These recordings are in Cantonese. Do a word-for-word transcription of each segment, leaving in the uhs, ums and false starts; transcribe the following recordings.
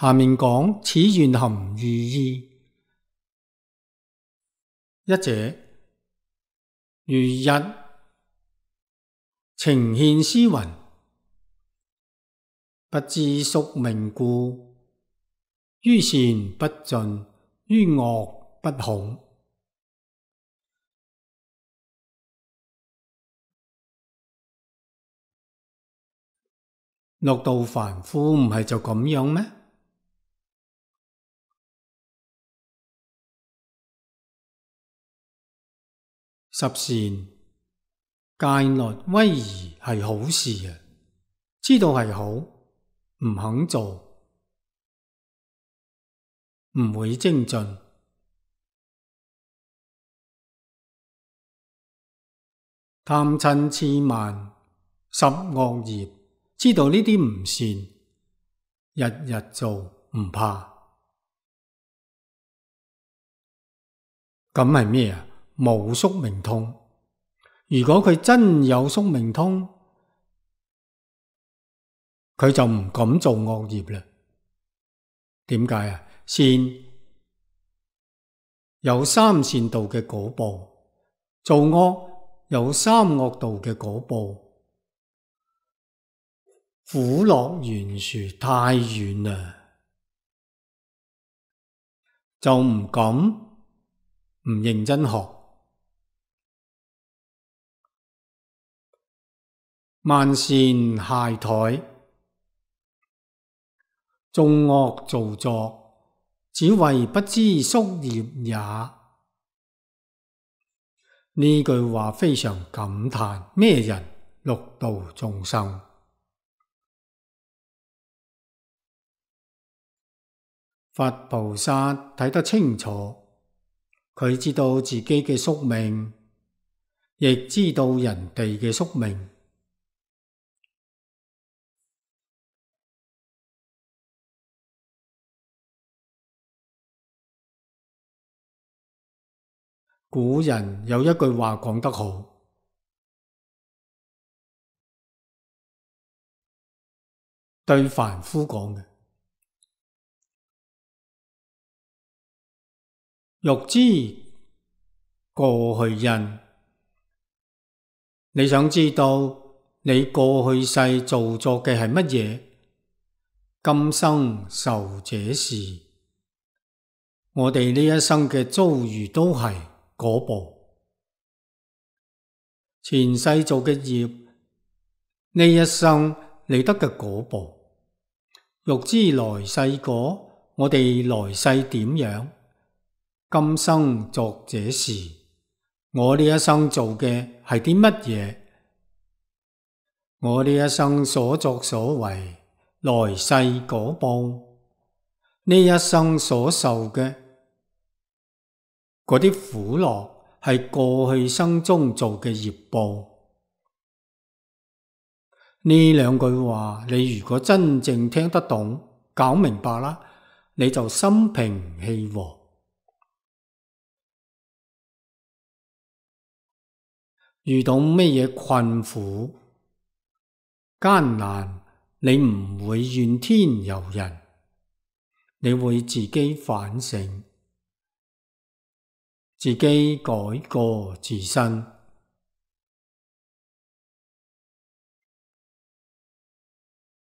下面講此願含寓意。一者，如日呈現詩雲，不知宿命故，於善不進，於惡不恐。六道凡夫唔係就咁樣咩？十善戒律威儀係好事啊，知道係好，唔肯做，唔會精進。貪嗔癡慢十惡業，知道呢啲唔善，日日做唔怕。咁係咩啊？冇宿命通。如果佢真有宿命通，佢就唔敢做惡業啦。點解啊？善有三善道嘅果報，做惡有三惡道嘅果報，苦樂懸殊太遠啦，就唔敢唔認真學。慢善懈怠，眾惡造作，只為不知宿業也。呢句話非常感嘆，咩人？六道眾生。佛菩薩睇得清楚，佢知道自己嘅宿命，亦知道人哋嘅宿命。古人有一句話講得好，對凡夫講嘅，欲知過去因。你想知道你過去世做作嘅係乜嘢？今生受這事，我哋呢一生嘅遭遇都係果報。前世做嘅業，呢一生你得嘅果報。欲知來世果，我哋來世點樣？今生作這事，我呢一生做嘅係啲乜嘢？我呢一生所作所為，來世果報。呢一生所受嘅嗰啲苦樂，係過去生中做嘅業報。呢兩句話，你如果真正聽得懂，搞明白啦，你就心平氣和。遇到咩嘢困苦艱難，你唔會怨天尤人，你會自己反省，自己改過自新。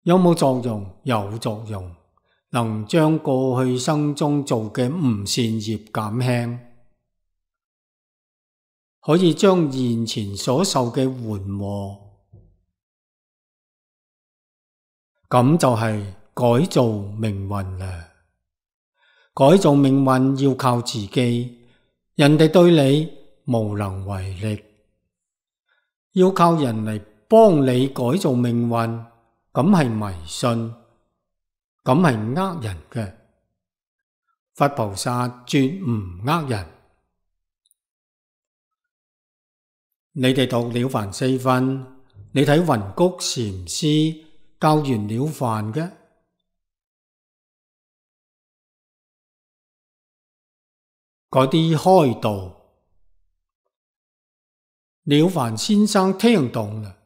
有冇作用？有作用，能將過去生中做嘅唔善業減輕，可以將現前所受嘅緩和。咁就係改造命運啦。改造命運要靠自己，人哋對你無能為力，要靠人嚟幫你改造命運，咁係迷信，咁係呃人嘅。佛菩薩絕唔呃人。你哋讀了凡四訓，你睇雲谷禪師教完了凡嘅，嗰啲開導，了凡先生聽懂啦，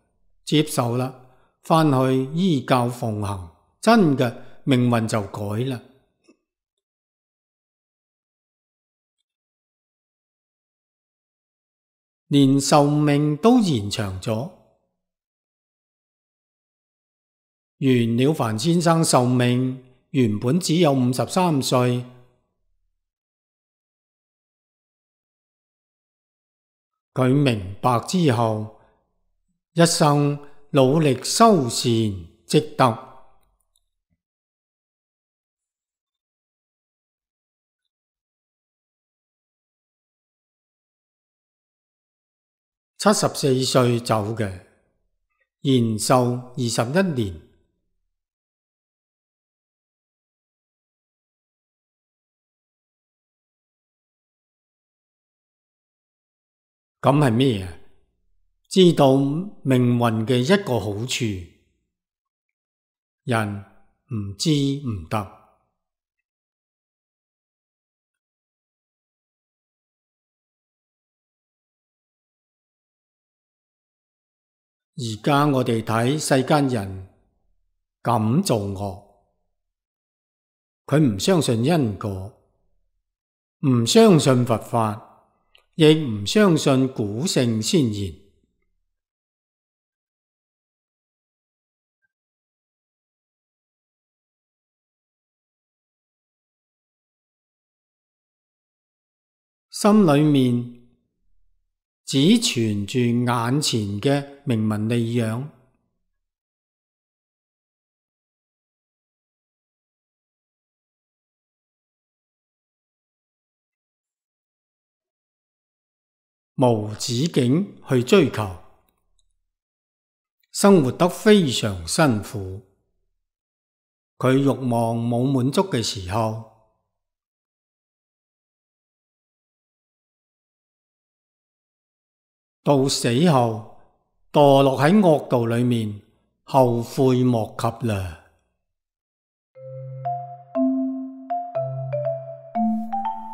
接受啦，返去依教奉行，真嘅命運就改啦。連壽命都延長咗。袁了凡先生壽命原本只有五十三歲，佢明白之後，一生努力修善積德。七十四歲走嘅，延壽二十一年。咁係咩啊？知道命運嘅一個好處，人唔知唔得。而家我哋睇世間人咁做惡，佢唔相信因果，唔相信佛法，亦唔相信古聖先賢。心裏面只存住眼前嘅名聞利養，無止境去追求，生活得非常辛苦。佢慾望冇滿足嘅時候，到死後墮落喺惡道裏面，後悔莫及啦。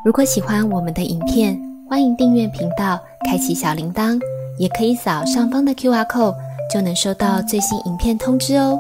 如果喜歡我們的影片，歡迎訂閱頻道，開啟小鈴鐺，也可以掃上方的 Q R code，就能收到最新影片通知哦。